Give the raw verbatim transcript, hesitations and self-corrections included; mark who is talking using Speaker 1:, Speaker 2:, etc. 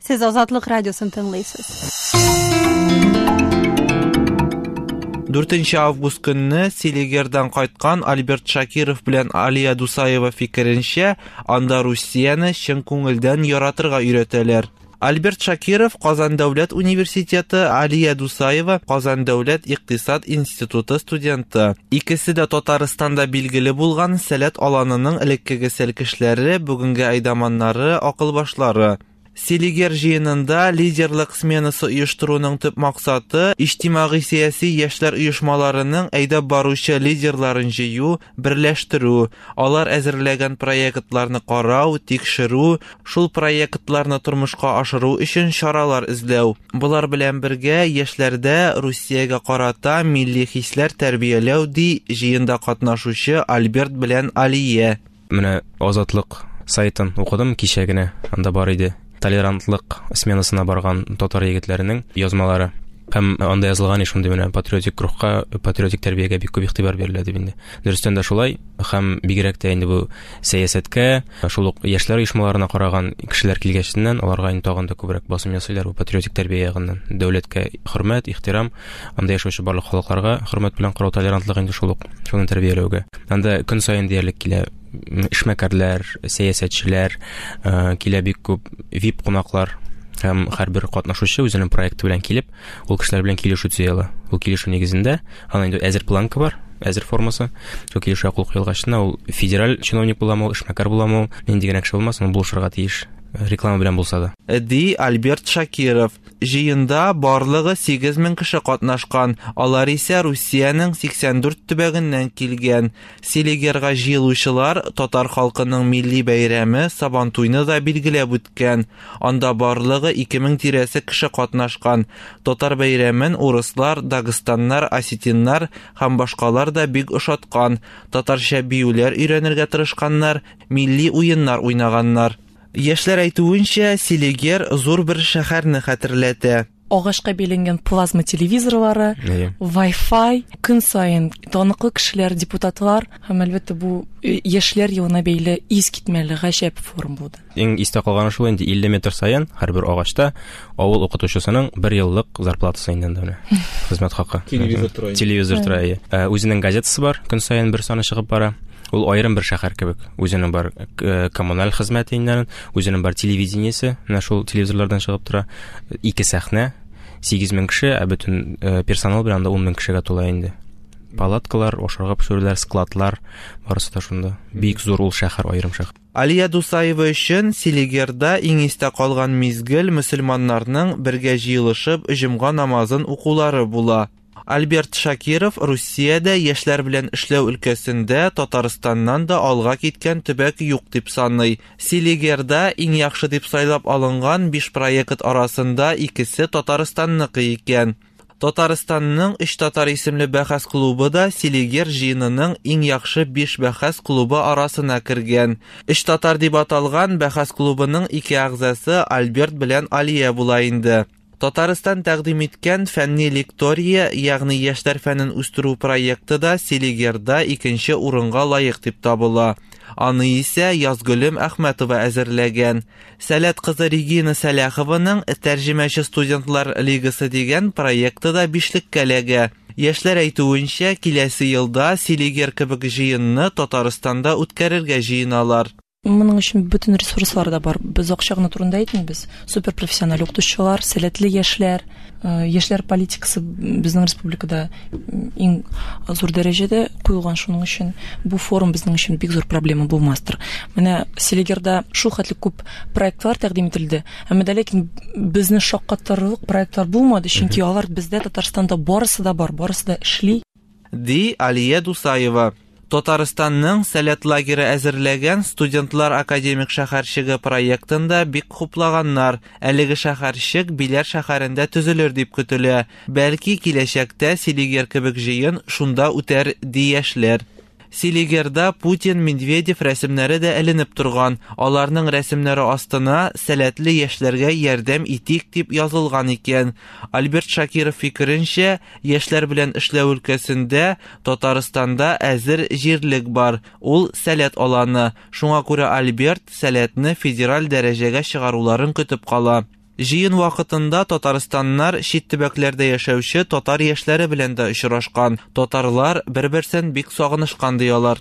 Speaker 1: Сез Азатлык радиосын тыңлыйсыз.
Speaker 2: Дүртенче август көнне Селигердан кайткан Альберт Шакиров белән Алия Дусаева фикеренчә, анда Русияне чын күңелдән яратырга өйрәтәләр. Альберт Шакиров Казан дәүләт университеты, Алия Дусаева Казан дәүләт икътисад институты студенты. Икесе дә Татарстанда билгеле булган Сәләт аланының элеккеге сәлкешләре, бүгенге әйдаманнары, акылбашлары. Селигер җыенында лидерлык сменасы оештыруның төп максаты иҗтимагый сәяси яшьләр оешмаларының әйдәп баручы лидерларын җыю, берләштерү, алар әзерләгән проектларны карау, тикшерү, шул проектларны тормышка ашыру өчен чаралар эзләү. Болар белән бергә яшьләрдә Русиягә карата милли хисләр тәрбияләү, ди җыенда катнашучы Альберт белән Алия.
Speaker 3: Менә Азатлык сайтын укыдым кичә генә, анда бар иде толерантлык сменасына барган татар егетләренең язмалары. Һәм анда язылган шундый менә патриотик рухка, патриотик тәрбиягә бик күп игътибар бирелә дип инде. Дөрестән дә шулай, һәм бигрәк тә инде бу сәясәткә, шул ук яшьләр оешмаларына караган кешеләр килгәченнән аларга инде тагын да күбрәк басым ясыйлар бу патриотик тәрбия ягыннан. Дәүләткә хөрмәт, ихтирам, анда яшәүче барлык халыкларга хөрмәт белән карау, толерантлык инде шул ук, шуны тәрбияләүгә. Анда көн саен диярлек килә эшмәкәрләр, сәясәтчеләр, килә бик күп ви ай пи кунаклар. Һәм һәрбер катнашучы үзенең проекты белән килеп, ул кешеләр белән килешү төзи ала. Ул килешү нигезендә аның инде әзер планка бар, әзер формасы. Шул килешүгә кул куелгачына ул федераль чиновник буламы, ул эшмәкәр буламы, ул нинди генә кеше булмасын, ул булышырга тиеш, реклама белән булса да.
Speaker 2: Ди Альберт Шакиров. Җыенда барлыгы сигез мең кеше катнашкан. Алар исә Русиянең сиксән дүрт төбәгеннән килгән. Селигерга җыелучылар татар халкының милли бәйрәме Сабантуйны да билгеләп үткән. Анда барлыгы ике мең тирәсе кеше катнашкан. Татар бәйрәмен урыслар, дагыстаннар, осетиннар һәм башкалар да бик ошаткан. Татарча биюләр өйрәнергә тырышканнар, милли уеннар уйнаганнар. Яшьләр әйтүенчә, Селигер зур бер шәһәрне хәтерләтә.
Speaker 4: Агачка бәйләнгән плазма телевизорлары, Wi-Fi, көн саен таныклы кешеләр, депутатлар һәм әлбәттә бу яшьләр елына бәйле искитмәле гаҗәп форум булды.
Speaker 3: Иң истә калганы шул инде илле метр саен һәрбер агачта авыл укытучысының бер еллык зарплатасы инде анда менә. Хезмәт хакы.
Speaker 2: Телевизор тора.
Speaker 3: Телевизор тора. Үзенең газетасы бар, көн саен бер саны чыгып бара. Ул аерым бер шәһәр кебек. Үзенең бар коммуналь хезмәте инде, үзенең бар телевидениесе, менә шул телевизорлардан чыгып тора. Ике сәхнә, сигез мең кеше, ә бөтен персонал белән анда ун мең кешегә тула инде. Палаткалар, ашарга пешерүләр, складлар, барысы да шунда. Бик зур ул шәһәр, аерым шәһәр.
Speaker 2: Алия Дусаева өчен Селигерда иң истә калган мизгел мөселманнарның бергә җыелышып җомга намазын укулары була. Альберт Шакиров Русиядә яшьләр белән эшләү өлкәсендә Татарстаннан да алга киткән төбәк юк дип саный. Селигерда иң яхшы дип сайлап алынган биш проект арасында икесе Татарстанныкы икән. Татарстанның Өч татар исемле бәхәс клубы да Селигер җыенының иң яхшы биш бәхәс клубы арасына кергән. Өч татар дип аталган бәхәс клубының ике әгъзасы Альберт белән Алия була инде. Татарстан тәкъдим иткән фәнни лектория, ягъни яшьләр фәнен үстерү проекты да Селигерда икенче урынга лаек дип табыла. Аны исә Язгөлем Әхмәтова әзерләгән. Сәләт кызы Регина Сәләхованың Тәрҗемәче студентлар лигасы дигән проекты да бишлеккә эләгә. Яшьләр әйтүенчә, киләсе елда Селигер кебек җыенны Татарстанда үткәрергә җыеналар.
Speaker 4: Моның өчен бөтен ресурслар да бар. Без акча гына турында әйтмибез. Суперпрофессиональ укытучылар, сәләтле яшьләр, яшьләр политикасы безнең республикада иң зур дәрәҗәдә куелган, шуның өчен бу форум безнең өчен бик зур проблема булмастыр. Менә Селигерда шул хәтле күп проектлар тәкъдим ителде, әмма дә ләкин безне шаккатырлык проектлар булмады, чөнки алар бездә Татарстанда барысы да бар, барысы да эшли.
Speaker 2: Ди Алия Дусаева. Татарстанның Сәләт лагере әзерләгән студентлар академик шәһәрчеге проектында бик хуплаганнар. Әлеге шәһәрчек Биләр шәһәрендә төзелер дип көтелә. Бәлки киләчәктә Селигер кебек җыен шунда үтәр ди яшьләр. Селигерда Путин, Медведев рәсемнәре дә эленеп торган. Аларның рәсемнәре астына сәләтле яшьләргә ярдәм итик дип язылган икән. Альберт Шакиров фикеренчә, яшьләр белән эшләү өлкәсендә Татарстанда әзер җирлек бар. Ул сәләт аланы. Шуңа күрә Альберт сәләтне федераль дәрәҗәгә чыгаруларын көтеп кала. Җыен вакытында татарстаннар чит төбәкләрдә яшәүче татар яшьләре белән дә очрашкан. Татарлар бер-берсен бик сагынышкан ди алар.